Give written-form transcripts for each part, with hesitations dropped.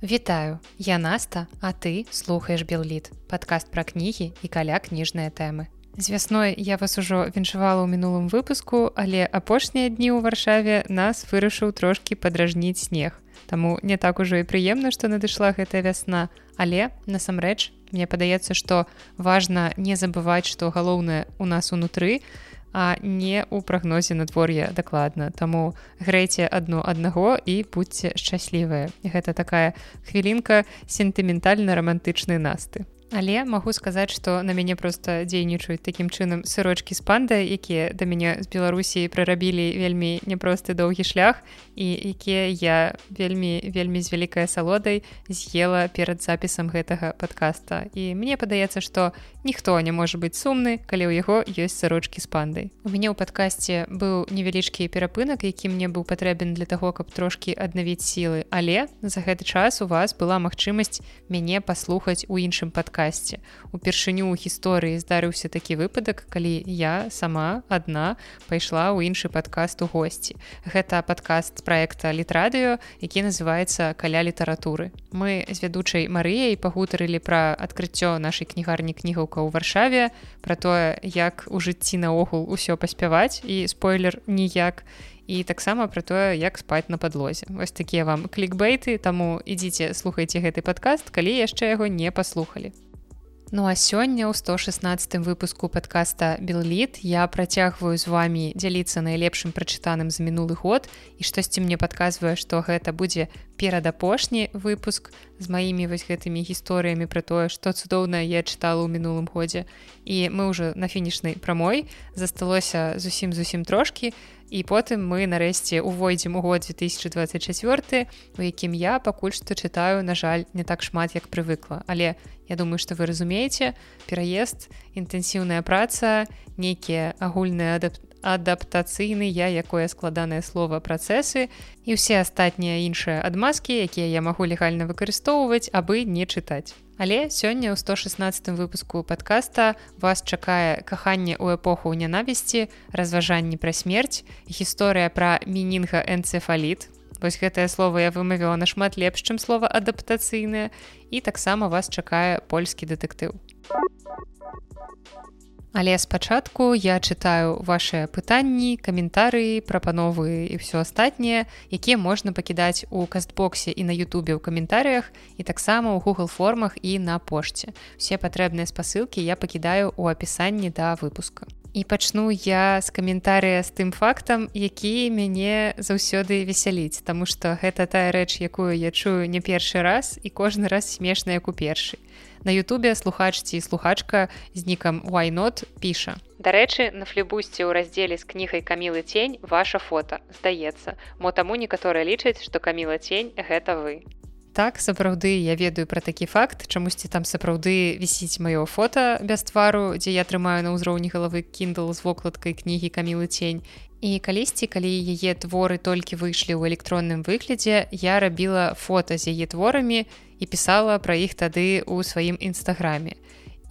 Вітаю, я Наста, а ты слухаеш Белліт, падкаст пра кнігі і каля кніжныя тэмы. З вясной я вас ужо віншавала ў мінулым выпуску, але апошнія дні ў Варшаве нас вырашыў трошкі падражніць снег. Таму не так ужо і прыемна, што надышла гэтая вясна, але, насамрэч, мне падаецца, што важна не забываць, што галоўнае ў нас унутры, а не ў прагнозе надвор'я дакладна. Таму грэйце адно аднаго і будьце шчаслівыя. Гэта такая хвілінка сентыментальна-рамантычнай Насты. Але магу сказаць, што на мяне проста дзейнічаюць такім чынам сырочкі з пандай, якія да мяне з Беларусі прарабілі вельмі няпросты доўгі шлях і якія я вельмі з вялікай асалодай з'ела перад запісам гэтага падкаста. І мне падаецца, што ніхто не можа быць сумны, калі ў яго ёсць сырочкі з пандай. У мяне ў падкасце быў невялічкі перапынак, які мне быў патрэбен для таго, каб трошкі аднавіць сілы. Але за гэты час у вас была магчымасць мяне паслухаць у іншым падкасце. Упершыню ў гісторыі здарыўся такі выпадак, калі я сама адна пайшла ў іншы падкаст у госці. Гэта падкаст праекта Літрадыё, які называецца «Каля літаратуры». Мы з вядучай Марыяй пагутарылі пра адкрыццё нашай кнігарні кнігаўка ў Варшаве, пра тое, як у жыцці наогул усё паспяваць, і спойлер ніяк, і таксама пра тое, як спаць на падлозе. Вось такія вам клікбейты, таму ідзіце, слухайце гэты падкаст, калі яшчэ яго не паслухалі. Ну а сёння ў 116-м выпуску падкаста «Белліт» я працягваю з вамі дзяліцца найлепшым прачытаным за мінулы год, і штосьці мне падказвае, што гэта будзе перадапошні выпуск з маімі вось гэтымі гісторыямі пра тое, што цудоўна я чытала ў мінулым годзе. І мы ўжо на фінішнай прамой, засталося зусім трошкі, і потым мы нарэшце увойдзем у год 2024, у якім я пакуль што чытаю, на жаль, не так шмат, як прывыкла. Але я думаю, што вы разумееце, пераезд, інтэнсіўная праца, нейкія агульныя адаптацыйныя, якое складанае слова, працэсы і ўсе астатнія іншыя адмазкі, якія я магу легальна выкарыстоўваць, абы не чытаць. Але сёння ў 116-м выпуску падкаста вас чакае каханне ў эпоху нянавісці, разважанні пра смерць, гісторыя пра менінгаэнцэфаліт. Вось гэтае слова я вымавіла нашмат лепш, чым слова адаптацыйнае, і таксама вас чакае польскі дэтэктыў. Але спачатку я чытаю вашыя пытанні, каментарыі, прапановы і ўсё астатняе, якія можна пакідаць у кастбоксе і на ютубе ў каментарыях, і таксама ў Google формах і на пошце. Усе патрэбныя спасылкі я пакідаю ў апісанні да выпуска. І пачну я з каментарыя з тым фактам, які мяне заўсёды весяліць, таму што гэта тая рэч, якую я чую не першы раз і кожны раз смешна, як у першы. На ютубе слухач ці слухачка з нікам Why Not піша: «Дарэчы, на флібусце ў раздзеле з кнігай Камілы Цень ваша фота, здаецца, мо таму некаторыя лічаць, што Каміла Цень – гэта вы». Так, сапраўды, я ведаю пра такі факт, чамусьці там сапраўды вісіць маё фота без твару, дзе я трымаю на ўзроўні галавы Kindle з вокладкай кнігі Камілы Цень. І калісьці, калі яе творы толькі выйшлі ў электронным выглядзе, я рабіла фота з яе творамі і пісала пра іх тады ў сваім інстаграме.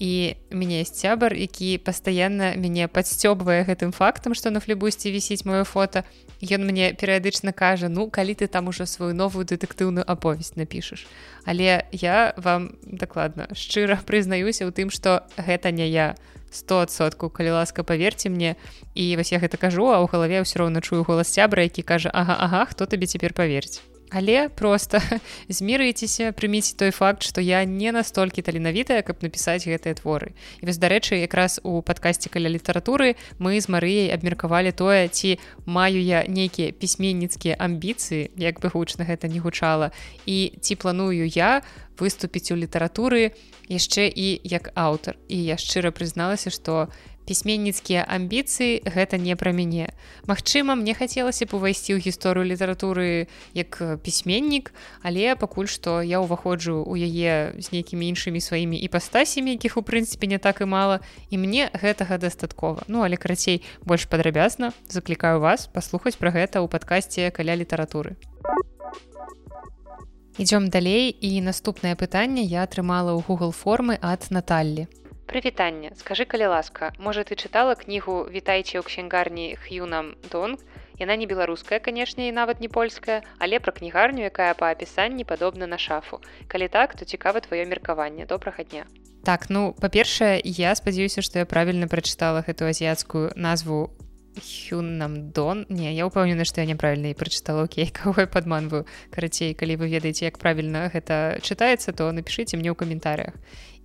І у мяне ёсць сябар, які пастаянна мяне падсцёбвае гэтым фактам, што на флібусце вісіць маё фота. Ён мне перыядычна кажа: «Ну, калі ты там ужо сваю новую дэтэктыўную аповесць напішаш». Але я вам дакладна шчыра прызнаюся ў тым, што гэта не я. 100%, калі ласка, паверце мне. І вось я гэта кажу, а ў галаве ўсё роўна чую голас сябра, які кажа: «Ага, хто табе цяпер паверць?» Але проста змірыйцеся, прыміце той факт, што я не настолькі таленавітая, каб напісаць гэтыя творы. І вось, дарэчы, якраз у падкасце «Каля літаратуры» мы з Марыяй абмеркавалі тое, ці маю я нейкія пісьменніцкія амбіцыі, як бы гучна гэта не гучала, і ці планую я выступіць у літаратуры яшчэ і як аўтар. І я шчыра прызналася, што пісьменніцкія амбіцыі – гэта не пра мяне. Магчыма, мне хацелася б увайсці ў гісторыю літаратуры як пісьменнік, але пакуль што я ўваходжу ў яе з нейкімі іншымі сваімі іпастасямі, якіх у прынцыпе не так і мала, і мне гэтага дастаткова. Ну, але карацей, больш падрабязна заклікаю вас паслухаць пра гэта ў падкасце «Каля літаратуры». Ідзём далей, і наступнае пытанне я атрымала ў Google формы ад Наталлі. Прывітанне, скажы, калі ласка, можа, ты чытала кнігу «Вітайце ў ксенгарні Х'юнам Донг» Яна не беларуская, канешне, і нават не польская, але пра кнігарню, якая па апісанні падобна на шафу. Калі так, то цікава тваё меркаванне. Добрага дня. Так, ну, па-першае, я спадзяюся, што я правільна прачытала гэту азіяцкую назву Хюннамдон. Не, я ўпэўнена, што я няправільна і прачытала. Окей, каго я падманваю. Карацей, калі вы ведаеце, як правільна гэта чытаецца, то напішыце мне ў каментарыях.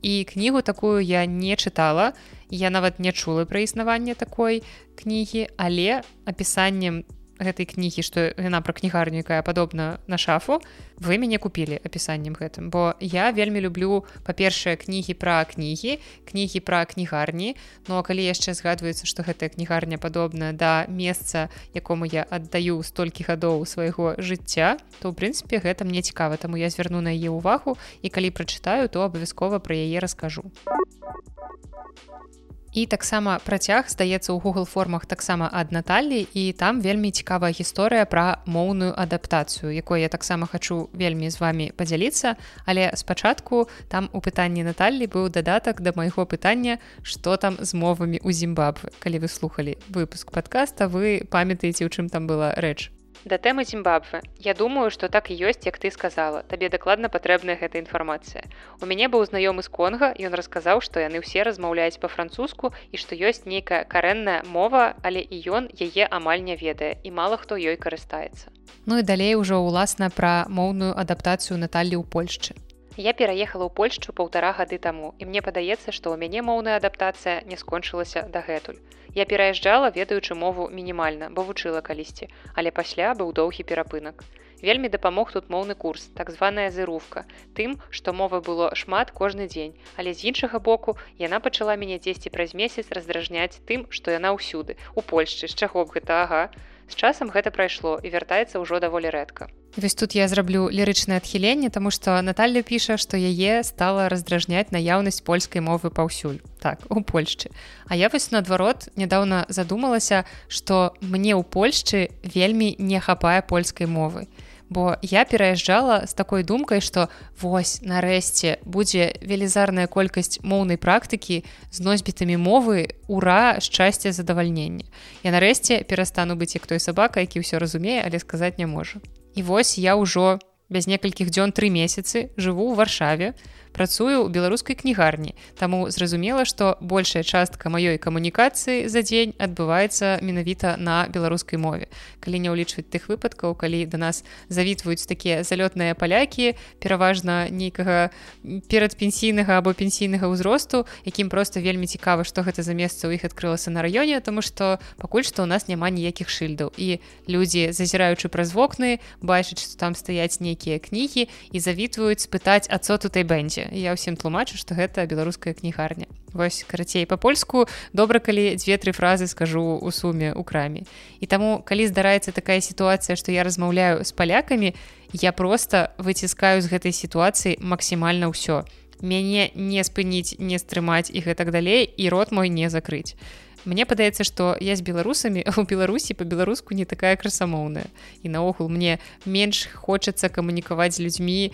І кнігу такую я не чытала, я нават не чула пра існаванне такой кнігі, але апісаннем гэтай кнігі, што яна пра кнігарню, якая падобна на шафу, вы мяне купілі апісаннем гэтым, бо я вельмі люблю, па-першае, кнігі пра кнігарні, ну а калі яшчэ згадваецца, што гэтая кнігарня падобна да месца, якому я аддаю столькі гадоў свайго жыцця, то, ў прынцыпе, гэта мне цікава, таму я звярну на яе ўвагу, і калі прачытаю, то абавязкова пра яе раскажу. І таксама працяг, здаецца, у Google формах таксама ад Наталлі, і там вельмі цікавая гісторыя пра моўную адаптацыю, якой я таксама хачу вельмі з вамі падзяліцца, але спачатку там у пытанні Наталлі быў дадатак да майго пытання, што там з мовамі ў Зімбабве. Калі вы слухалі выпуск падкаста, вы памятаеце, у чым там была рэч. Да тэмы Зімбабве. Я думаю, што так і ёсць, як ты сказала. Табе дакладна патрэбная гэта інфармацыя. У мяне быў знаёмы з Конга, ён расказаў, што яны ўсе размаўляюць па-французску і што ёсць нейкая карэнная мова, але і ён яе амаль не ведае, і мала хто ёй карыстаецца. Ну і далей ужо ўласна пра моўную адаптацыю Наталлі ў Польшчы. Я пераехала ў Польшчу 1,5 гады таму, і мне падаецца, што ў мяне моўная адаптацыя не скончылася дагэтуль. Я пераязджала, ведаючы мову мінімальна, бо вучыла калісьці, але пасля быў доўгі перапынак. Вельмі дапамог тут моўны курс, так званая зырувка, тым, што мовы было шмат кожны дзень, але з іншага боку яна пачала мяне дзесьці праз месяц раздражняць тым, што яна ўсюды, у Польшчы, з чаго б гэта, ага. З часам гэта прайшло і вяртаецца ўжо даволі рэдка. Вось тут я зраблю лірычнае адхіленне, таму што Наталля піша, што яе стала раздражняць наяўнасць польскай мовы паўсюль. Так, у Польшчы. А я вось наадварот нядаўна задумалася, што мне ў Польшчы вельмі не хапае польскай мовы. Бо я пераязджала з такой думкай, што вось, нарэшце, будзе велізарная колькасць моўнай практыкі з носьбітамі мовы, ура, шчасце, задавальнення. Я нарэшце перастану быць як той сабака, які ўсё разумее, але сказаць не можа. І вось я ўжо без некалькіх дзён 3 месяцы жыву ў Варшаве, працую ў беларускай кнігарні, таму зразумела, што большая частка маёй камунікацыі за дзень адбываецца менавіта на беларускай мове. Калі не ўлічваць тых выпадкаў, калі да нас завітваюць такія залётныя палякі, пераважна нейкага перадпенсійнага або пенсійнага ўзросту, якім проста вельмі цікава, што гэта за месца ў іх адкрылася на раёне, таму што пакуль што ў нас няма ніякіх шыльдаў. І людзі, зазіраючы праз вокны, бачаць, што там стаяць нейкія кнігі і завітваюць спытаць, а цо тутай бэндзе. Я ўсім тлумачу, што гэта беларуская кнігарня. Вось, карацей, па-польску добра, калі 2-3 фразы скажу у суме ў краме. І таму, калі здараецца такая сітуацыя, што я размаўляю з палякамі, я проста выціскаю з гэтай сітуацыі максімальна ўсё. Мяне не спыніць, не стрымаць і гэтак далей, і рот мой не закрыць. Мне падаецца, што я з беларусамі ў Беларусі па-беларуску не такая красамоўная. І наогул мне менш хочацца камунікаваць з людзьмі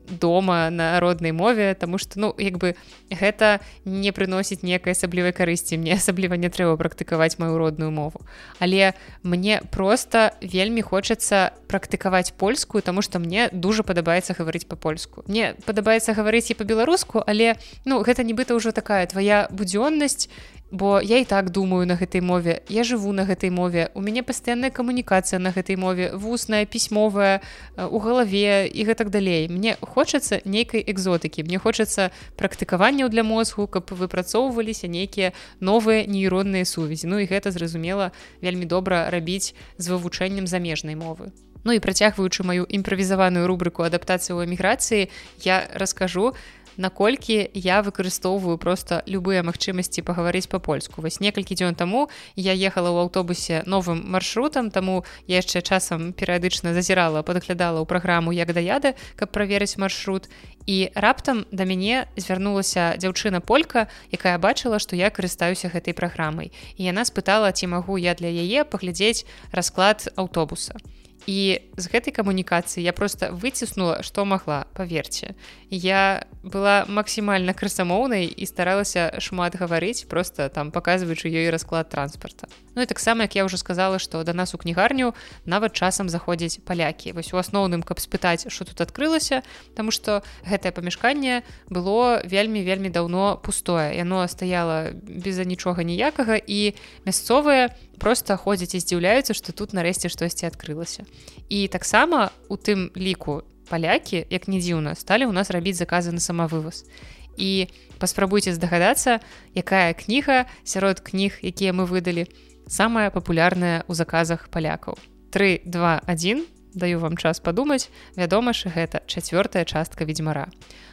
дома на роднай мове, таму што, ну, як бы гэта не прыносіць некай асаблівай карысці, мне асабліва не трэба практыкаваць маю родную мову. Але мне проста вельмі хочацца практыкаваць польскую, таму што мне дужа падабаецца гаварыць па-польску. Мне падабаецца гаварыць і па-беларуску, але, ну, гэта нібыта ўжо такая твая будзённасць, бо я і так думаю на гэтай мове, я жыву на гэтай мове, у мяне пастаянная камунікацыя на гэтай мове, вусная, пісьмовая, у галаве і гэтак далей. Мне хочацца нейкай экзотыкі, мне хочацца практыкаванняў для мозгу, каб выпрацоўваліся нейкія новыя нейронныя сувязі. Ну і гэта, зразумела, вельмі добра рабіць з вывучэннем замежнай мовы. Ну і працягваючы маю імправізаваную рубрыку адаптацыі ў эміграцыі, я раскажу, наколькі я выкарыстоўваю проста любыя магчымасці пагаварыць па-польску. Вось некалькі дзён таму я ехала ў аўтобусе новым маршрутам, таму я яшчэ часам перыядычна зазірала, падглядала ў праграму «Як да яда», каб праверыць маршрут. І раптам да мяне звярнулася дзяўчына-полька, якая бачыла, што я карыстаюся гэтай праграмай. І яна спытала, ці магу я для яе паглядзець расклад аўтобуса. І з гэтай камунікацыі я просто выціснула, што магла, паверце. Я была максімальна красамоўнай і старалася шмат гаварыць, просто там паказваючы ёй расклад транспарта. Ну і таксама, як я ўжо сказала, што да нас у кнігарню нават часам заходзяць палякі. Вось у асноўным, каб спытаць, што тут адкрылася, таму што гэтае памяшканне было вельмі даўно пустое. Яно стаяла без нічога ніякага, і мясцовыя просто ходзяць і здзіўляюцца, што тут нарэшце штосьці адкрылася. І таксама у тым ліку палякі, як не дзіўна, сталі ў нас рабіць заказы на самавываз. І паспрабуйце здагадацца, якая кніга сярод кніг, якія мы выдалі, самая папулярная ў заказах палякаў. 3, 2, 1, даю вам час падумаць, вядома ж, гэта 4-я частка ведзьмара.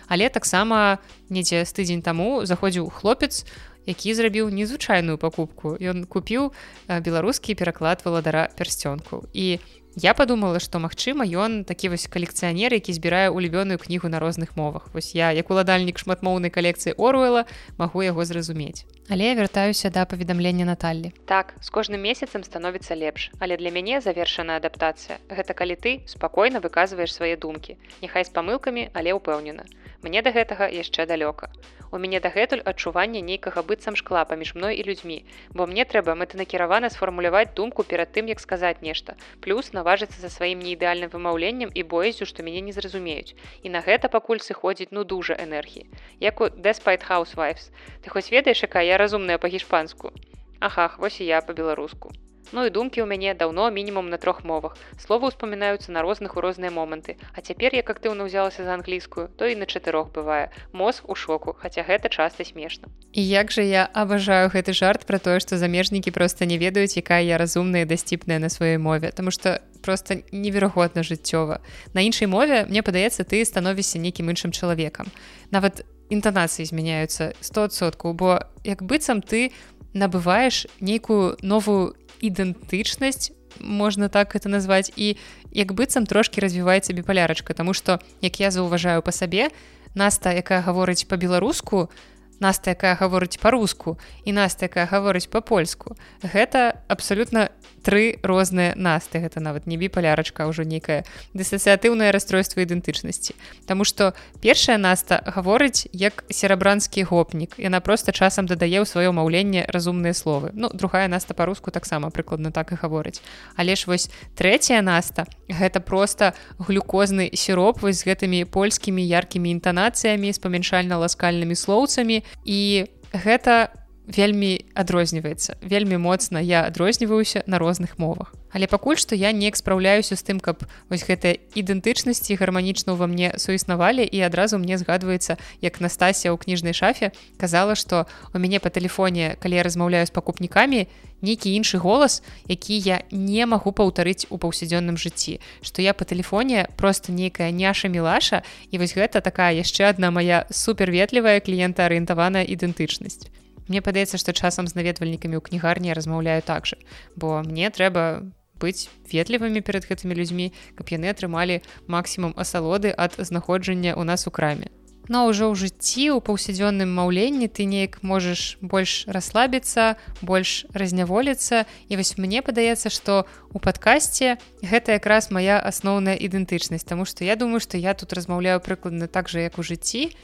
Але таксама недзе з тыдзень таму заходзіў хлопец, які зрабіў незвычайную пакупку. Ён купіў беларускі пераклад валадара пярсцёнкаў. І я падумала, што, магчыма, ён такі вось калекцыянер, які збірае улюбёную кнігу на розных мовах. Вось я, як уладальнік шматмоўнай калекцыі Оруэла, магу яго зразумець. Але я вяртаюся да паведамлення Наталлі. Так, з кожным месяцам становіцца лепш, але для мяне завершаная адаптацыя. Гэта калі ты спакойна выказваеш свае думкі. Няхай з памылкамі, але ўпэўнена. Мне да гэтага яшчэ далёка. У мяне дагэтуль адчуванне нейкага быццам шкла паміж мной і людзьмі, бо мне трэба мэтанакіравана сфармуляваць думку перад тым, як сказаць нешта, плюс наважыцца за сваім неідэальным вымаўленнем і боязю, што мяне не зразумеюць. І на гэта пакуль сыходзіць дужа энергіі. Як у Despite Housewives. Ты хоць ведаеш, якая я разумная па-гішпанску? Ахах, вось і я па-беларуску. Ну і думкі ў мяне даўно мінімум на 3 мовах. Словы ўспамінаюцца на розных у розныя моманты. А цяпер, як актыўна ўзялася за англійскую, то і на 4 бывае. Мозг у шоку, хаця гэта часта смешна. І як жа я абажаю гэты жарт пра тое, што замежнікі проста не ведаюць, якая я разумная і дасціпная на сваёй мове, таму што просто неверагодна жыццёва. На іншай мове, мне падаецца, ты становішся нейкім іншым чалавекам. Нават інтанацыі змяняюцца 100%, бо як быццам ты набываеш нейкую новую ідэнтычнасць, можна так это назваць, і як быццам трошкі развіваецца біпалярачка, таму што, як я заўважаю па сабе, Наста, якая гаворыць па-беларуску, Наста, якая гаворыць па-руску, і Наста, якая гаворыць па-польску, гэта абсалютна 3 розныя Насты. Гэта нават не біпалярачка, а ўжо нейкае дысацыятыўнае расстройства ідэнтычнасці. Таму што першая Наста гаворыць як серабранскі гопнік. Яна проста часам дадае ў сваё маўленне разумныя словы. Ну, другая Наста па-руску таксама прыкладна так і гаворыць. Але ж вось трэцяя Наста — гэта проста глюкозны сіроп вось з гэтымі польскімі яркімі інтанацыямі, з памяншальна-ласкальнымі слоўцамі. І гэта вельмі адрозніваецца. Вельмі моцна я адрозніваюся на розных мовах. Але пакуль што я неяк спраўляюся з тым, каб вось гэтыя ідэнтычнасці гарманічна ўва мне суіснавалі, і адразу мне згадваецца, як Настасія ў кніжнай шафе казала, што у мяне па тэлефоне, калі я размаўляю з пакупнікамі, нейкі іншы голас, які я не магу паўтарыць у паўсядзённым жыцці, што я па тэлефоне просто нейкая няша-мілаша, і вось гэта такая яшчэ адна мая суперветлівая кліентаарыентаваная ідэнтычнасць. Мне падаецца, што часам з наведвальнікамі ў кнігарні я размаўляю так жа, бо мне трэба быць ветлівымі перад гэтымі людзьмі, каб яны атрымалі максімум асалоды ад знаходжання ў нас у краме. Но ўжо ў жыцці, у паўсядзённым маўленні ты неяк можаш больш расслабіцца, больш разняволіцца. І вось мне падаецца, што ў падкасце гэта якраз мая асноўная ідэнтычнасць, таму што я думаю, што я тут размаўляю прыкладна так жа, як у жыцці.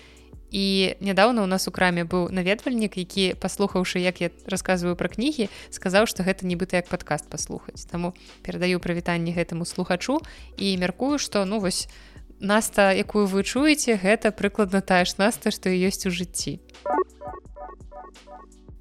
І нядаўна ў нас у краме быў наведвальнік, які, паслухаўшы, як я расказваю пра кнігі, сказаў, што гэта нібыта як падкаст паслухаць. Таму перадаю прывітанне гэтаму слухачу і мяркую, што ну вось Наста, якую вы чуеце, гэта прыкладна тая ж Наста, што і ёсць у жыцці.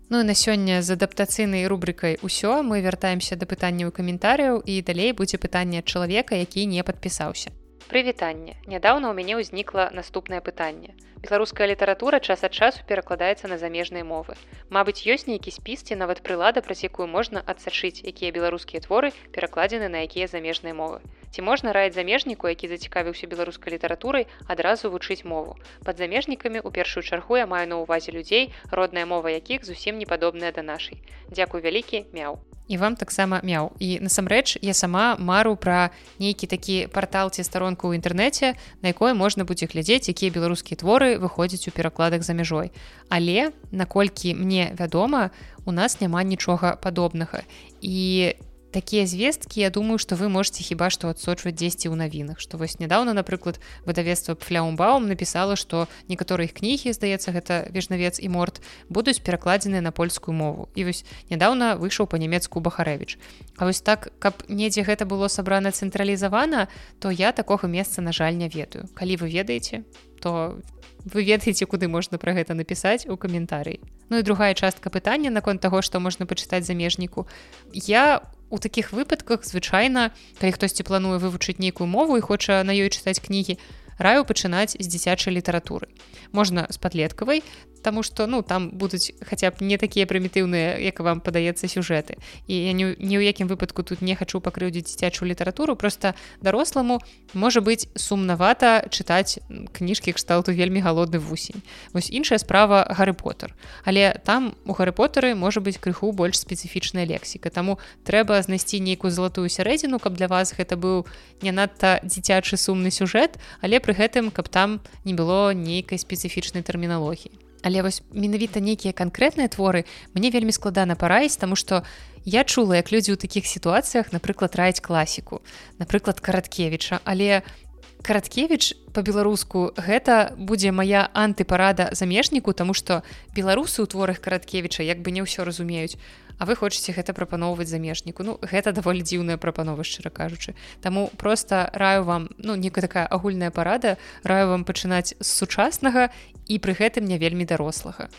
Ну і на сёння з адаптацыйнай рубрыкай ўсё. Мы вяртаемся да пытанняў і каментарыяў, і далей будзе пытанне ад чалавека, які не падпісаўся. Прывітанне. Нядаўна ў мяне ўзнікла наступнае пытанне. Беларуская літаратура час ад часу перакладаецца на замежныя мовы. Мабыць, ёсць нейкі спіс ці нават прылада, праз якую можна адсачыць, якія беларускія творы перакладзены на якія замежныя мовы. Ці можна раіць замежніку, які зацікавіўся беларускай літаратурай, адразу вучыць мову? Пад замежнікамі ў першую чаргу я маю на ўвазе людзей, родная мова якіх зусім не падобная да нашай. Дзякуй вялікі, мяу. І вам таксама мяу. І насамрэч я сама мару пра нейкі такі партал ці старонку ў інтэрнэце, на якой можна будзе глядзець, якія беларускія творы выходзяць у перакладах за мяжой. Але, наколькі мне вядома, у нас няма нічога падобнага. І такія звесткі, я думаю, што вы можете хіба што адсочваць дзесьці ў навінах, што вось нядаўна, напрыклад, выдавецтва Пфляумбаум напісала, што некаторыя іх кнігі, здаецца, гэта Вежнавец і Морт, будуць перакладзеныя на польскую мову. І вось нядаўна выйшаў па-нямецку Бахарэвіч. А вось так, каб недзе гэта было сабрана цэнтралізавана, то я такога месца, на жаль, не ведаю. Калі вы ведаеце, то вы ведаеце, куды можна пра гэта напісаць у каментарыі. Ну і другая частка пытання наконт таго, што можна пачытаць замежніку. Я у такіх выпадках звычайна, калі хтосьці плануе вывучыць нейкую мову і хоча на ёй чытаць кнігі, раю пачынаць з дзіцячай літаратуры. Можна з падлеткавай, таму што там будуць хаця б не такія прымітыўныя, як вам падаецца, сюжэты. І я ні ў якім выпадку тут не хачу пакрыўдзіць дзіцячую літаратуру, проста даросламу можа быць сумнавата чытаць кніжкі кшталту «Вельмі галодны вусень». Вось іншая справа Гары Поттер. Але там у Гары Поттэры можа быць крыху больш спецыфічная лексіка, таму трэба знайсці нейкую залатую сярэдзіну, каб для вас гэта быў не надта дзіцячы сумны сюжэт, але пры гэтым, каб там не было нейкай спецыфічнай тэрміналогіі. Але вось менавіта нейкія канкрэтныя творы мне вельмі складана параіць, таму што я чула, як людзі ў такіх сітуацыях, напрыклад, раяць класіку, напрыклад, Караткевіча, але Караткевіч па-беларуску гэта будзе мая антыпарада замежніку, таму што беларусы ў творах Караткевіча як бы не ўсё разумеюць, а вы хочаце гэта прапаноўваць замежніку. Гэта даволі дзіўная прапанова, шчыра кажучы. Таму проста раю вам, некая такая агульная парада, раю вам пачынаць з сучаснага і пры гэтым не вельмі дарослага.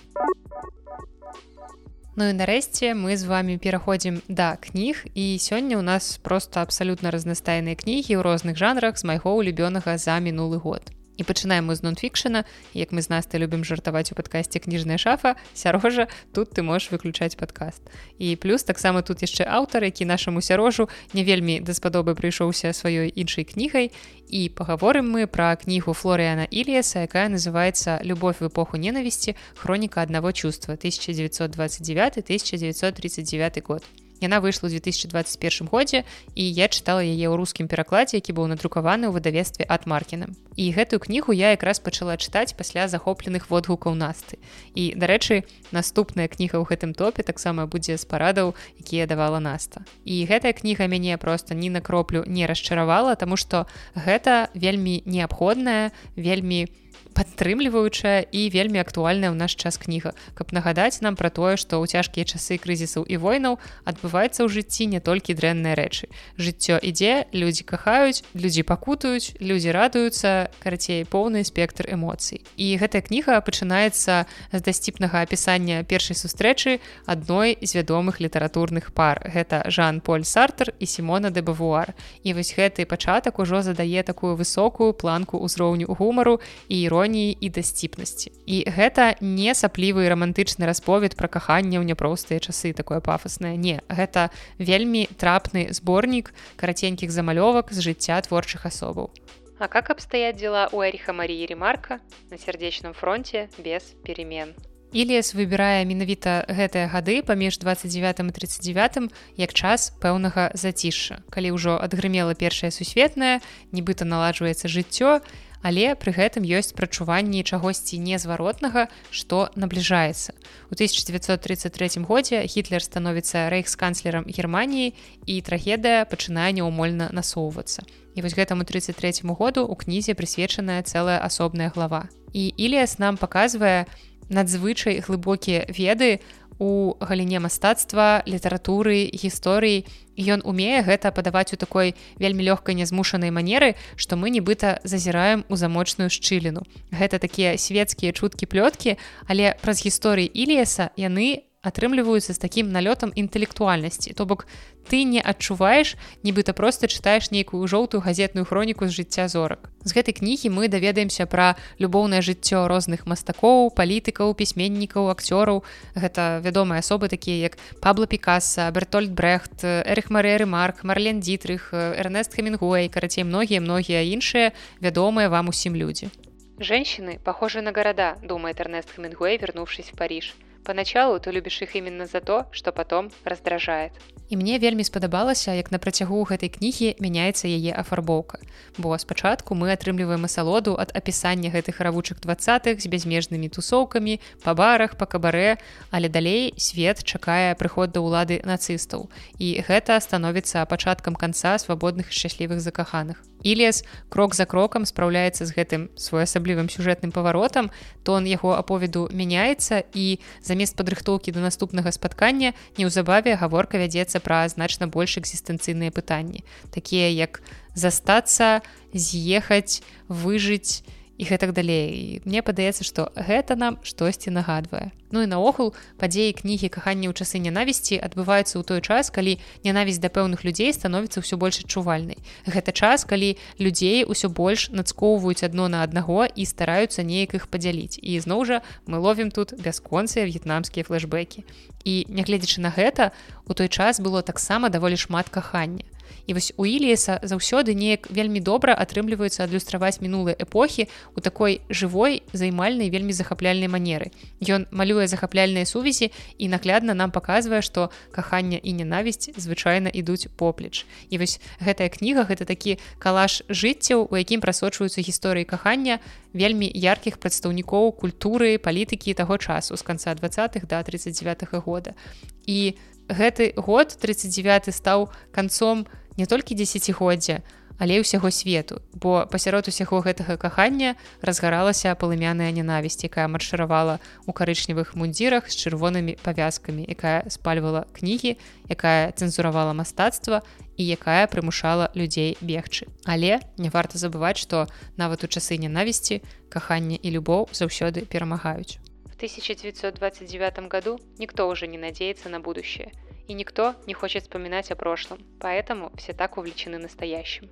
Ну і нарэшце мы з вами пераходзім да кніг, і сёння ў нас проста абсалютна разнастайныя кнігі ў розных жанрах з майго улюбёнага за мінулы год. І пачынаем мы з нон-фікшена. Як мы з Настай любім жартаваць у падкасце «Кніжная шафа», Сярожа, тут ты можаш выключаць падкаст. І плюс таксама тут яшчэ аўтар, які нашаму Сярожу не вельмі даспадобы прыйшоўся сваёй іншай кнігай. І пагаворым мы пра кнігу Флоріана Ільяса, якая называецца «Любовь в эпоху ненависти. Хроника одного чувства. 1929-1939 год». Яна выйшла ў 2021 годзе, і я чытала яе ў рускім перакладзе, які быў надрукаваны ў выдавецтве Ад Маркіным. І гэтую кнігу я якраз пачала чытаць пасля захопленых водгукаў Насты. І, дарэчы, наступная кніга ў гэтым топе таксама будзе з парадаў, якія давала Наста. І гэтая кніга мяне проста ні на кроплю не расчаравала, таму што гэта вельмі неабходная, вельмі падтрымліваючая і вельмі актуальная ў наш час кніга, каб нагадаць нам пра тое, што ў цяжкія часы крызісаў і войнаў адбываецца ў жыцці не толькі дрэнныя рэчы. Жыццё ідзе, людзі кахаюць, людзі пакутаюць, людзі радуюцца, карацей, поўны спектр эмоцый. І гэтая кніга пачынаецца з дасціпнага апісання першай сустрэчы адной з вядомых літаратурных пар. Гэта Жан-Поль Сартр і Сімона де Бавуар. І вось гэты пачатак ужо задае такую высокую планку ўзроўню гумару і іроніі і дасціпнасці. І гэта не саплівы рамантычны расповед пра каханне ў няпростыя часы, такое пафаснае. Не, гэта вельмі трапны зборнік караценькіх замалёвак з жыцця творчых асобаў. А как обстоят дела у Эриха Марии Ремарка на сердечном фронте без перемен? Ільяс выбірае менавіта гэтыя гады паміж 29 і 39 як час пэўнага зацішша, калі ўжо адгрымела Першая сусветная, нібыта наладжваецца жыццё, але пры гэтым ёсць прачуванні чагосьці незваротнага, што набліжаецца. У 1933 годзе Гітлер становіцца рэйхсканцлерам Германіі, і трагедыя пачынае няўмольна насоўвацца. І вось гэтаму 33 году ў кнізе прысвечаная цэлая асобная глава. І Ільяс нам паказвае надзвычай глыбокія веды у галіне мастацтва, літаратуры, гісторыі. Ён умее гэта падаваць у такой вельмі лёгкай нязмушанай манеры, што мы нібыта зазіраем у замочную шчыліну. Гэта такія свецкія чуткі-плёткі, але праз гісторыі Ільяса яны атрымліваюцца з такім налётам інтэлектуальнасці. То бок ты не адчуваеш, нібыта проста чытаеш нейкую жоўтую газетную хроніку з жыцця зорак. З гэтай кнігі мы даведаемся пра любоўнае жыццё розных мастакоў, палітыкаў, пісьменнікаў, акцёраў. Гэта вядомыя асобы такія, як Пабло Пікассо, Бертольд Брехт, Эрих Мария Ремарк, Марлен Дитрих, Эрнест Хемингуэй, карацей, многія іншыя вядомыя вам усім людзі. «Женщины похожи на города», думает Эрнест Хемингуэй, вернувшись в Париж. Поначалу ты любишь их именно за то, что потом раздражает. І мне вельмі спадабалася, як на працягу гэтай кнігі мяняецца яе афарбоўка. Бо спачатку мы атрымліваем асалоду ад апісання гэтых равучых 20-х з бязмежнымі тусоўкамі, па барах, па кабарэ, але далей свет чакае прыход да ўлады нацыстаў. І гэта становіцца пачаткам канца свабодных і шчаслівых закаханых. Іліяс крок за крокам спраўляецца з гэтым своеасаблівым сюжэтным паваротам, тон яго аповеду мяняецца, і замест падрыхтоўкі да наступнага спаткання неўзабаве гаворка вядзецца пра значна больш экзістэнцыйныя пытанні, такія як застацца, з'ехаць, выжыць і гэтак далей. І мне падаецца, што гэта нам штосьці нагадвае. Ну і наогул, падзеі кнігі «Каханне ў часы нянавісці» адбываюцца ў той час, калі нянавісць да пэўных людзей становіцца ўсё больш адчувальнай. Гэта час, калі людзей ўсё больш нацкоўваюць адно на аднаго і стараюцца неяк іх падзяліць. І зноў жа мы ловім тут бясконцыя в'етнамскія флэшбэкі. І нягледзячы на гэта, у той час было таксама даволі шмат кахання. І вось у Іліяса заўсёды неяк вельмі добра атрымліваецца адлюстраваць мінулыя эпохі ў такой жывой, займальнай, вельмі захапляльнай манеры. Ён малюе захапляльныя сувязі і наглядна нам паказвае, што каханне і нянавісць звычайна ідуць поплеч. І вось гэтая кніга — гэта такі калаж жыццяў, у якім прасочваюцца гісторыі кахання вельмі яркіх прадстаўнікоў культуры, палітыкі таго часу з канца 20-х да 39-го года. І гэты год, 39-й, стаў канцом не толькі дзесяцігоддзя, але і ўсяго свету, бо пасярод усяго гэтага кахання разгаралася палымяная нянавісць, якая маршыравала ў карычневых мундзірах з чырвонымі павязкамі, якая спальвала кнігі, якая цэнзуравала мастацтва і якая прымушала людзей бегчы. Але не варта забываць, што нават у часы нянавісці каханне і любоў заўсёды перамагаюць. В 1929 году никто уже не надеется на будущее, и никто не хочет вспоминать о прошлом, поэтому все так увлечены настоящим.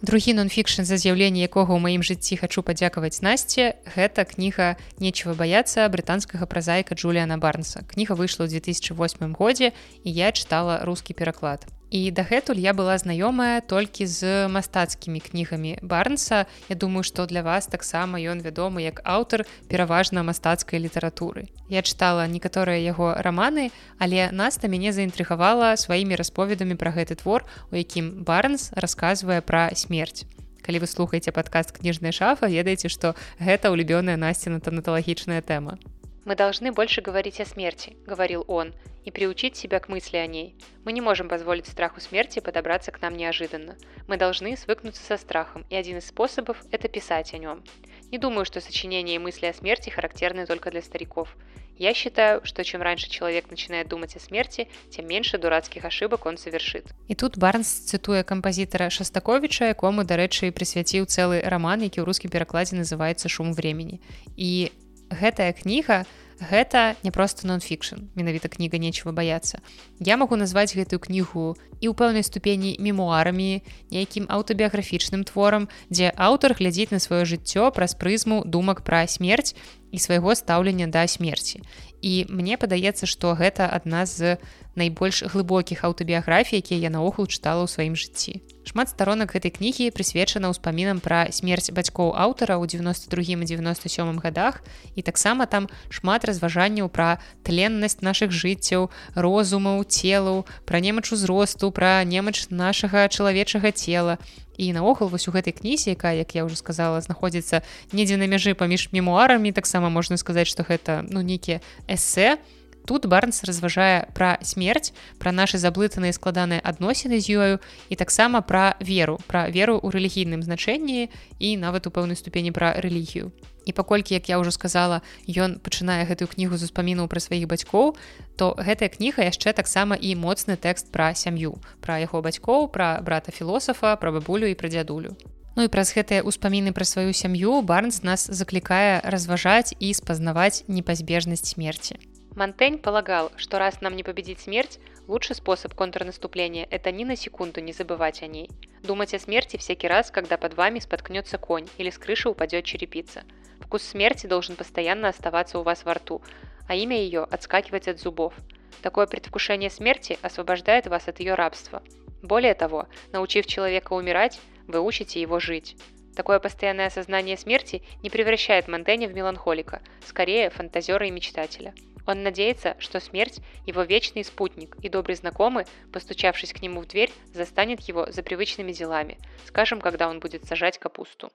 Другі нон-фікшн, за з'яўленне якога ў маім жыцці хачу падзякаваць Насце, гэта кніга «Нечего бояться» брытанскага празаіка Джуліана Барнса. Кніга выйшла ў 2008 годзе, і я чытала рускі пераклад. І дагэтуль я была знаёмая толькі з мастацкімі кнігамі Барнса. Я думаю, што для вас таксама ён вядомы як аўтар пераважна мастацкай літаратуры. Я чытала некаторыя яго раманы, але Наста мяне заінтрыгавала сваімі расповедамі пра гэты твор, у якім Барнс расказвае пра смерць. Калі вы слухаеце падкаст «Книжная шафа», ведаеце, што гэта улюбёная Насціна танаталагічная тэма. «Мы должны больше говорить о смерти», — говорил он, «и приучить себя к мысли о ней. Мы не можем позволить страху смерти подобраться к нам неожиданно. Мы должны свыкнуться со страхом, и один из способов – это писать о нем. Не думаю, что сочинения и мысли о смерти характерны только для стариков. Я считаю, что чем раньше человек начинает думать о смерти, тем меньше дурацких ошибок он совершит». І тут Барнс цытуе кампазітара Шастаковіча, якому, дарэчы, прысвяціў цэлы раман, які ў рускім перакладзе называецца «Шум времени». І гэтая кніга — гэта не проста нон-фікшн, менавіта кніга «Нечего бояться». Я магу назваць гэтую кнігу і ў пэўнай ступені мемуарамі, нейкім аўтабіяграфічным творам, дзе аўтар глядзіць на сваё жыццё праз прызму думак пра смерць і свайго стаўлення да смерці. І мне падаецца, што гэта адна з найбольш глыбокіх аўтабіяграфій, якія я наогул чытала ў сваім жыцці. Шмат старонак гэтай кнігі прысвечана ўспамінам пра смерць бацькоў аўтара ў 92 і 97 годах, і таксама там шмат разважанняў пра тленнасць нашых жыццяў, розумаў, целаў, пра немач узросту, пра немач нашага чалавечага цела. І наогул вось у гэтай кнізе, якая, як я ўжо сказала, знаходзіцца недзе на мяжы паміж мемуарамі, таксама можна сказаць, што гэта нейкія эсэ. Тут Барнс разважае пра смерць, пра нашы заблытаныя складаныя адносіны з ёю і таксама пра веру ў рэлігійным значэнні і нават у пэўнай ступені пра рэлігію. І паколькі, як я ўжо сказала, ён пачынае гэтую кнігу з успамінаў пра сваіх бацькоў, то гэтая кніга яшчэ таксама і моцны тэкст пра сям'ю, пра яго бацькоў, пра брата-філосафа, пра бабулю і пра дзядулю. Ну і праз гэтыя ўспаміны пра сваю сям'ю Барнс нас заклікае разважаць і спазнаваць непазбежнасць смерці. Монтень полагал, что раз нам не победить смерть, лучший способ контрнаступления – это ни на секунду не забывать о ней. Думать о смерти всякий раз, когда под вами споткнется конь или с крыши упадет черепица. Вкус смерти должен постоянно оставаться у вас во рту, а имя ее отскакивать от зубов. Такое предвкушение смерти освобождает вас от ее рабства. Более того, научив человека умирать, вы учите его жить. Такое постоянное осознание смерти не превращает Монтэня в меланхолика, скорее фантазера и мечтателя. Он надеется, что смерть – его вечный спутник, и добрый знакомый, постучавшись к нему в дверь, застанет его за привычными делами, скажем, когда он будет сажать капусту.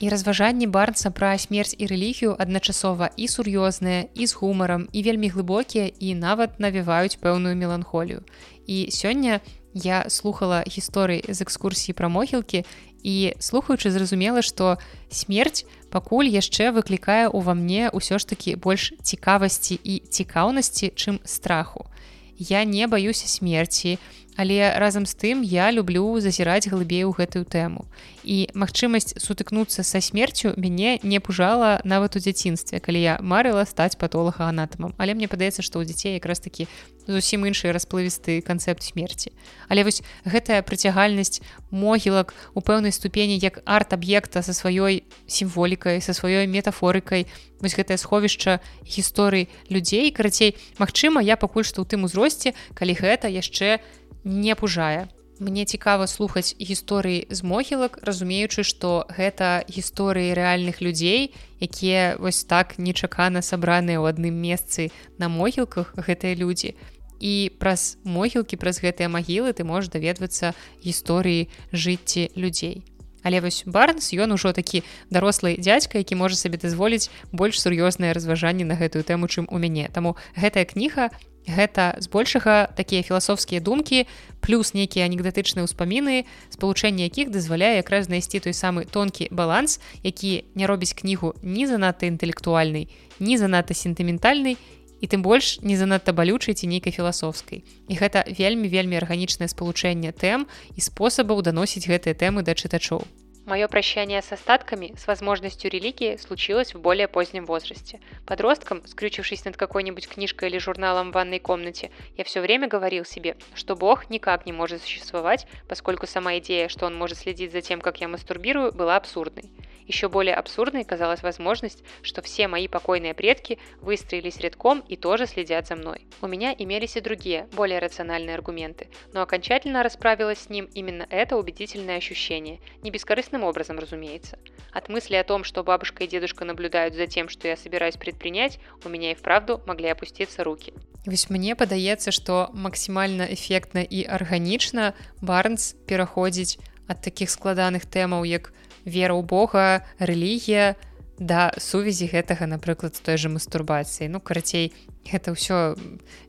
І разважанні Барнса пра смерць і рэлігію адначасова і сур'ёзныя, і з гумарам, і вельмі глыбокія, і нават навіваюць пэўную меланхолію. І сёння я слухала гісторыі з экскурсіі пра могілкі і, слухаючы, зразумела, што смерць пакуль яшчэ выклікае ўва мне ўсё ж такі больш цікавасці і цікаўнасці, чым страху. Я не баюся смерці, але разам з тым я люблю зазіраць глыбей у гэтую тэму. І магчымасць сутыкнуцца са смерцю мяне не пужала нават у дзяцінстве, калі я марыла стаць патолагаанатамам. Але мне падаецца, што ў дзяцей якраз такі зусім іншы расплывісты канцэпт смерці. Але вось гэтая прыцягальнасць могілак у пэўнай ступені як арт-аб'екта са сваёй сімволікай, са сваёй метафорыкай, вось гэтае сховішча гісторый людзей, карацей, магчыма, я пакуль што ў тым узросце, калі гэта яшчэ не пужае. Мне цікава слухаць гісторыі з могілак, разумеючы, што гэта гісторыі рэальных людзей, якія вось так нечакана сабраныя ў адным месцы на могілках, гэтыя людзі. І праз могілкі, праз гэтыя магілы ты можаш даведвацца гісторыі жыцці людзей. Але вось Барнс, ён ужо такі дарослы дзядзька, які можа сабе дазволіць больш сур'ёзныя разважанні на гэтую тэму, чым у мяне. Таму гэтая кніга гэта збольшага такія філасофскія думкі, плюс нейкія анекдатычныя ўспаміны, спалучэнне якіх дазваляе якраз знайсці той самы тонкі баланс, які не робіць кнігу ні занадта інтэлектуальнай, ні занадта сентыментальнай, і тым больш не занадта балючай ці нейкай філасофскай. І гэта вельмі арганічнае спалучэнне тэм і спосабаў даносіць гэтыя тэмы да чытачоў. Мое прощание с остатками, с возможностью религии, случилось в более позднем возрасте. Подростком, скрючившись над какой-нибудь книжкой или журналом в ванной комнате, я все время говорил себе, что Бог никак не может существовать, поскольку сама идея, что он может следить за тем, как я мастурбирую, была абсурдной. Еще более абсурдной казалась возможность, что все мои покойные предки выстроились рядком и тоже следят за мной. У меня имелись и другие, более рациональные аргументы, но окончательно расправилась с ним именно это убедительное ощущение, не бескорыстным образом, разумеется. От мысли о том, что бабушка и дедушка наблюдают за тем, что я собираюсь предпринять, у меня и вправду могли опуститься руки. Вось мне падаецца, што максімальна эфектна і арганічна Барнс пераходзіць ад такіх складаных тэмаў, як вера ў Бога, рэлігія, да сувязі гэтага, напрыклад, з той жа мастурбацыяй. Ну, карацей, гэта ўсё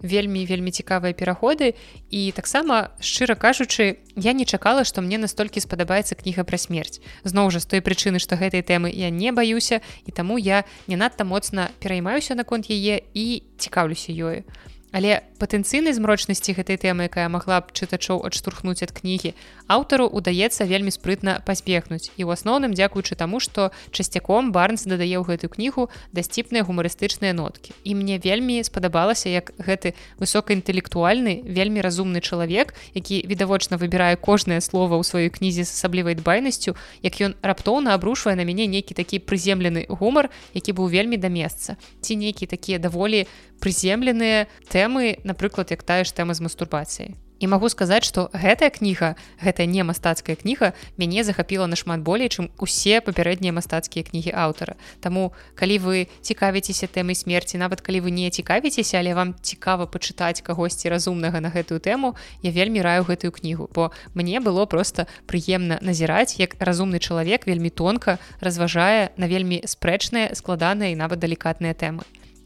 вельмі цікавыя пераходы. І таксама, шчыра кажучы, я не чакала, што мне настолькі спадабаецца кніга пра смерць. Зноў жа, з той прычыны, што гэтай тэмы я не баюся, і таму я не надта моцна пераймаюся наконт яе і цікаўлюся ёю. Але патэнцыйнай змрочнасці гэтай тэмы, якая магла б чытачоў адштурхнуць ад кнігі, аўтару ўдаецца вельмі спрытна пазбегнуць. І ў асноўным дзякуючы таму, што часцяком Барнс дадае ў гэтую кнігу дасціпныя гумарыстычныя ноткі. І мне вельмі спадабалася, як гэты высокаінтэлектуальны, вельмі разумны чалавек, які відавочна выбірае кожнае слова ў сваёй кнізе з асаблівай дбайнасцю, як ён раптоўна абрушвае на мяне нейкі такі прыземлены гумар, які быў вельмі да месца. Ці нейкія такія даволі прыземленыя тэмы, напрыклад, як тая ж тэма з мастурбацыяй. І магу сказаць, што гэтая кніга, гэтая не мастацкая кніга, мяне захапіла нашмат болей, чым усе папярэднія мастацкія кнігі аўтара. Таму, калі вы цікавіцеся тэмай смерці, нават калі вы не цікавіцеся, але вам цікава пачытаць кагосьці разумнага на гэтую тэму, я вельмі раю гэтую кнігу, бо мне было проста прыемна назіраць, як разумны чалавек вельмі тонка разважае на вельмі спрэчныя, складаныя і нават далікатныя тэмы.